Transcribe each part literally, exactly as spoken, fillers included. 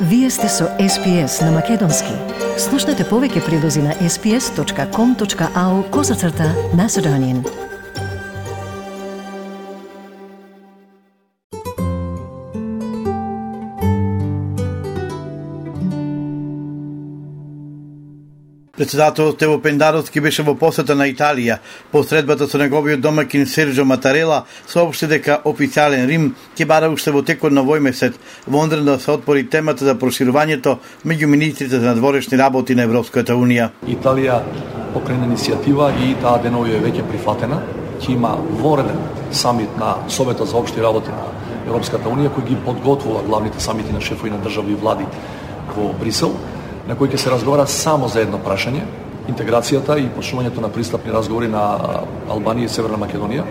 Вие сте со Ес Пи Ес на Македонски. Слушнете повеќе прилози на ес пи ес точка ком точка ау козацрта Macedonian. Председателот Ево Пендаровски беше во посета на Италија. По средбата со неговиот домакин Серджо Матарела соопшти дека официјален Рим ќе бара уште во текот на овој месец во Лондон да се отвори темата за проширувањето меѓу министрите за надворешни работи на Европската унија. Италија покрена иницијатива и таа денови е веќе прифатена. Ќе има вореден самит на Советот за општи работи на Европската унија кој ги подготвува главните самити на шефови на држави и влади во Брисел, на кој ќе се разговара само за едно прашање, интеграцијата и почнувањето на пристапни разговори на Албанија и Северна Македонија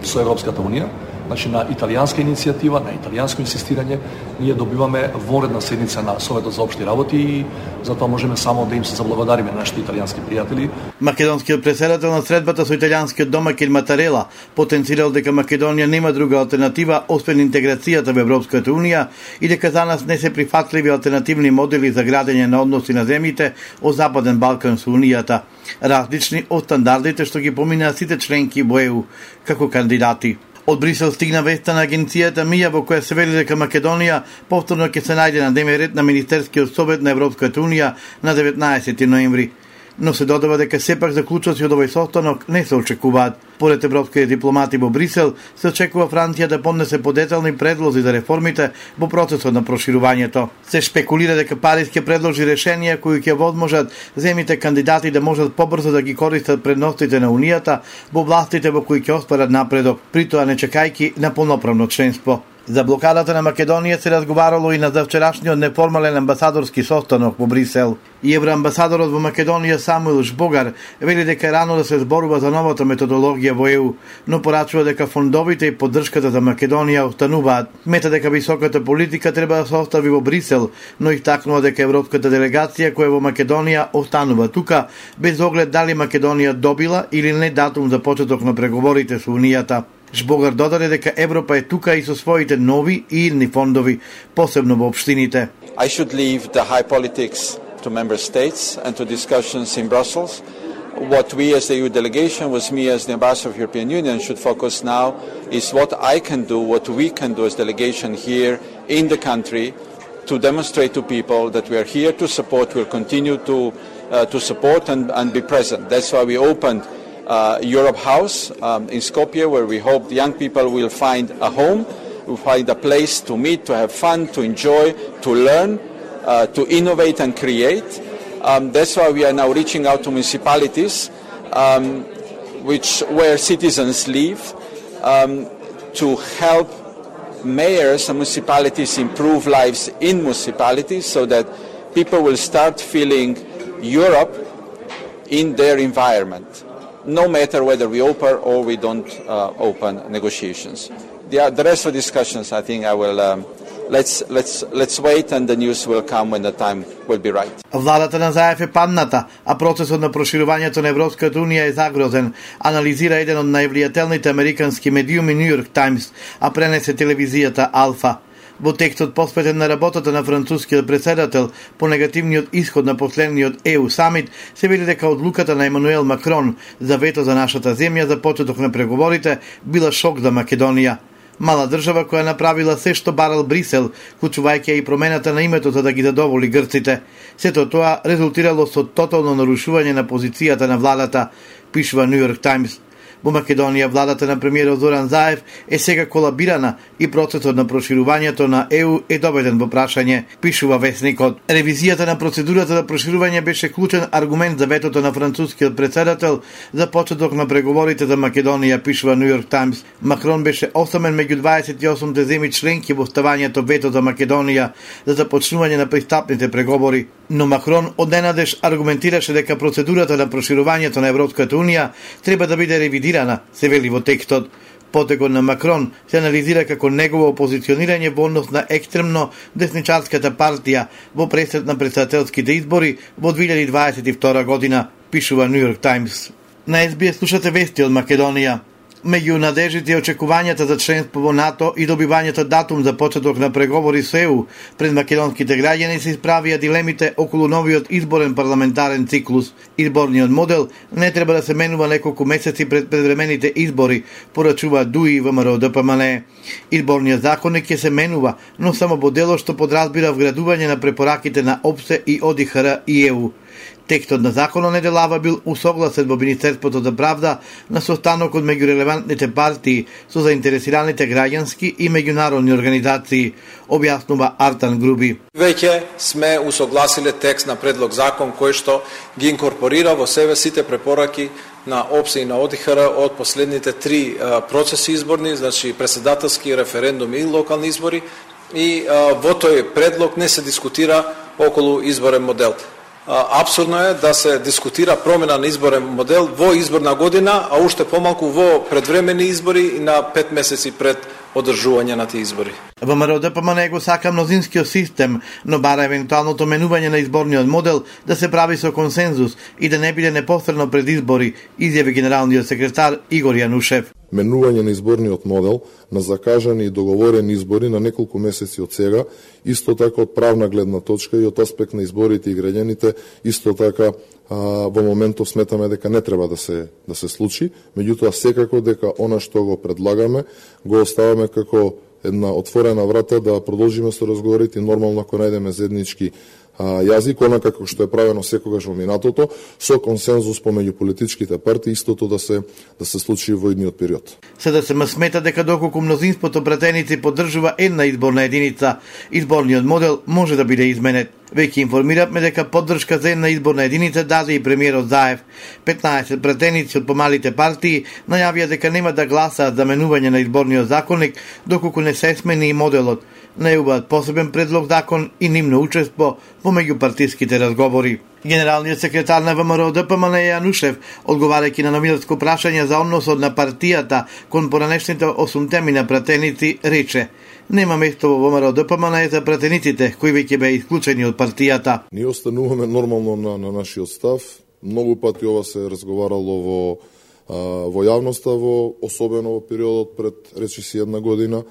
со Европската унија. Значи, на италијанска иницијатива, на италијанско инсистирање, ние добиваме воредна седница на Советот за општи работи и затоа можеме само да им се заблагодариме на нашите италијански пријатели. Македонскиот претседател на средбата со италијанскиот домакин Матарела потенцирал дека Македонија нема друга алтернатива освен интеграцијата во Европската унија и дека за нас не се прифатливи алтернативни модели за градење на односи на земјите од Западен Балкан со унијата, различни од стандардите што ги поминаа сите членки во Е У како кандидати. Од Брисел стигна веста на агенцијата МИА во која се вели дека Македонија повторно ќе се најде на дневен ред на Министерскиот совет на Европската унија на деветнаесети ноември. Но се додава дека сепак заклучоци од овој состанок не се очекуваат. Поред европските дипломати во Брисел, се очекува Франција да поднесе подетални предлози за реформите во процесот на проширувањето. Се шпекулира дека Париз ќе предложи решенија кои ќе возможат земјите кандидати да можат побрзо да ги користат предностите на Унијата во областите во кои ќе остварат напредок, притоа не чекајќи на полноправно членство. За блокадата на Македонија се разговарало и на завчерашниот неформален амбасадорски состанок во Брисел. И евроамбасадорот во Македонија Самуил Жбогар вели дека е рано да се зборува за новата методологија во Е У, но порачува дека фондовите и поддршката за Македонија остануваат. Мета дека високата политика треба да се остави во Брисел, но истакнува дека европската делегација која во Македонија останува тука, без оглед дали Македонија добила или не датум за почеток на преговорите со Унијата. Жбогар додаде дека Европа е тука и со своите нови и идни фондови, посебно во општините. I should leave the high politics to member states and to discussions in Brussels. What we as the E U delegation, was me as the ambassador of the European Union, should focus now is what I can do, what we can do as delegation here in the country to demonstrate to people that we are here to support, we'll continue to uh, to support and, and be present. That's why we opened Uh, Europe House um, in Skopje, where we hope the young people will find a home, will find a place to meet, to have fun, to enjoy, to learn, uh, to innovate and create. Um, that's why we are now reaching out to municipalities, um, which where citizens live, um, to help mayors and municipalities improve lives in municipalities, so that people will start feeling Europe in their environment, no matter whether we open or we don't uh, open negotiations. The, the rest of the discussions, I think I will, um, let's, let's, let's wait and the news will come when the time will be right. Владата на Заев е падната, а процесот на проширувањето на Европската унија е загрозен, анализира еден од највлијателните американски медиуми Нью Йорк Таймс, а пренесе телевизијата Алфа. Во текстот посветен на работата на францускиот претседател по негативниот исход на последниот Е У самит, се вели дека одлуката на Емануел Макрон за вето за нашата земја за почеток на преговорите била шок за Македонија. Мала држава која направила се што барал Брисел, вклучувајќи и промената на името за да ги задоволи грците. Сето тоа резултирало со тотално нарушување на позицијата на владата, пишува Нью Йорк Таймс. Во Македонија владата на премиерот Зоран Заев е сега колабирана и процесот на проширувањето на Е У е доведен во прашање, пишува весникот. Ревизијата на процедурата за проширување беше клучен аргумент за ветото на францускиот претседател за почеток на преговорите за Македонија, пишува Нью Йорк Таймс. Макрон беше осамен меѓу дваесет и осум земји членки во ставањето вето за Македонија за започнување на пристапните преговори. Но Макрон одненадеж аргументираше дека процедурата на проширувањето на Европската унија треба да биде ревидирана, се вели во текстот. Потегот на Макрон се анализира како негово позиционирање во однос на екстремно десничарската партија во пресрет на претседателските избори во две илјади дваесет и втора година, пишува Нью Йорк Таймс. На Ес Би Ес слушате вести од Македонија. Меѓу надеждите и очекувањата за членство во НАТО и добивањето датум за почеток на преговори со Е У, пред македонските граѓани се исправија дилемите околу новиот изборен парламентарен циклус. Изборниот модел не треба да се менува неколку месеци пред предвремените избори, порачува ДУИ и ВМРО Д П М Н Е. Изборниот законник ќе се менува, но само во делот што подразбира вградување на препораките на О П С Е и О Д И Х Р и Е У. Текстот на законот неделава бил усогласен во Министерството за правда на состанокот меѓу релевантните партии со заинтересираните граѓански и меѓународни организации, објаснува Артан Груби. Веќе сме усогласиле текст на предлог закон кој што ги инкорпорира во себе сите препораки на О П С Е и на О Д И Х Р од последните три процеси изборни, значи председателски, референдум и локални избори, и во тој предлог не се дискутира околу изборен модел. Апсурдно е да се дискутира промена на изборен модел во изборна година, а уште помалку во предвремени избори и на пет месеци пред одржување на тие избори. ВМРО Д П М Н Е го сака мнозинскиот систем, но бара евентуалното менување на изборниот модел да се прави со консензус и да не биде непосредно пред избори, изјави генералниот секретар Игор Јанушев. Менување на изборниот модел на закажани и договорени избори на неколку месеци од сега, исто така од правна гледна точка и од аспект на изборите и граѓаните, исто така а, во моментов сметаме дека не треба да се да се случи, меѓутоа секако дека она што го предлагаме го оставаме како една отворена врата да продолжиме со разговорите и нормално ако најдеме заеднички јазик, онака како што е правено секогаш во минатото, со консензус помеѓу политичките партии, истото да се да се случи во идниот период. Се да се смета дека доколку мнозинството пратеници поддржува една изборна единица, изборниот модел може да биде изменет. Веќе информиравме дека поддршка за една изборна единица даде и премиерот Заев. петнаесет пратеници од помалите партии најавија дека нема да гласаат за менување на изборниот законник доколку не се смени и моделот. Најубаат посебен предлог закон и нивно учество во меѓупартиските разговори. Генералниот секретар на ВМРО Д П М Н Е Јанушев, одговарајќи на новинарско прашање за односот на партијата кон поранешните осум теми на пратеници, рече: нема место во ВМРО Д П М Н Е за пратениците кои веќе беа исклучени од партијата. Ние остануваме нормално на, на нашиот став. Многу пати ова се разговарало во а, во јавноста, во особено во периодот пред речиси една година,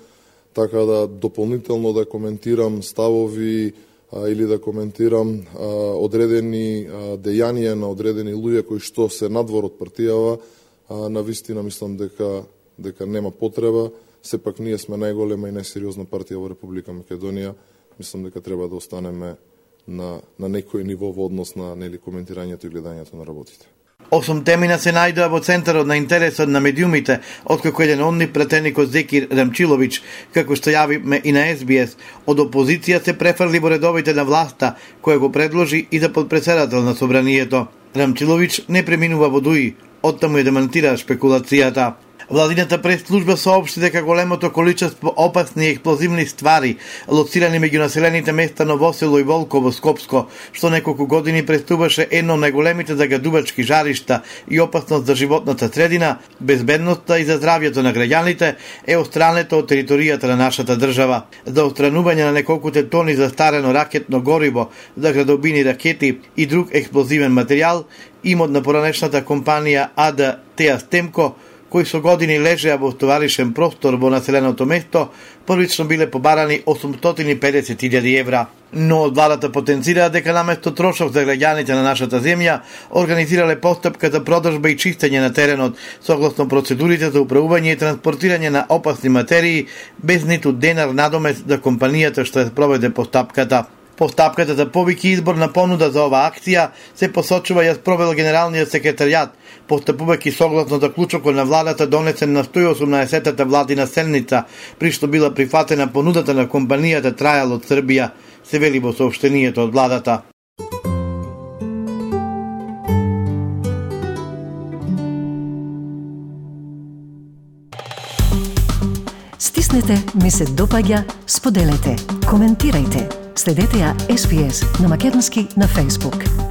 така да дополнително да коментирам ставови а, или да коментирам а, одредени а, дејанија на одредени луѓе кои што се надвор од партијава, а, на вистина мислам дека дека нема потреба. Сепак ние сме најголема и најсериозна партија во Република Македонија. Мислам дека треба да останеме на на некој ниво во однос на нели коментирањето и гледањето на работите. Осум темина се најдоа во центарот на интересот на медиумите, откако еден од нив пратеникот Зекир Рамчилович, како што јавиме и на Ес Би Ес, од опозиција се префрли во редовите на власта, која го предложи и за подпредседател на собранието. Рамчилович не преминува во ДУИ, оттаму ја демантира шпекулацијата. Владината прес-служба соопшти дека големото количество опасни и експлозивни ствари, лоцирани меѓу населените места Новосело и Волково, Скопско, што неколку години представуваше едно од најголемите загадувачки жаришта и опасност за животната средина, безбедноста и за здравјето на граѓаните, е отстрането од територијата на нашата држава. За отстранување на неколкуте тони застарено ракетно гориво, за градобини ракети и друг експлозивен материјал, имот на поранешната компанија А Д Теа Стемко, кои со години лежеа во товаришен простор во населеното место, првично биле побарани осумстотини и педесет илјади евра. Но од владата потенцираа дека наместо трошок за граѓаните на нашата земја, организирале постапка за продажба и чистење на теренот, согласно процедурите за управување и транспортирање на опасни материи, без ниту денар надомес за компанијата што ја спроведе постапката. Постапката за повеќе изборна понуда за оваа акција се посочува ја спровел генералниот секретаријат, постапувајќи согласно заклучокот на владата донесен на сто и осумнаесеттата владина седница, при што била прифатена понудата на компанијата Трајал од Србија, се вели во соопштението од владата. Стиснете, ми се допаѓа, споделете, коментирајте. Следете ја Ес Би Ес на македонски на Facebook.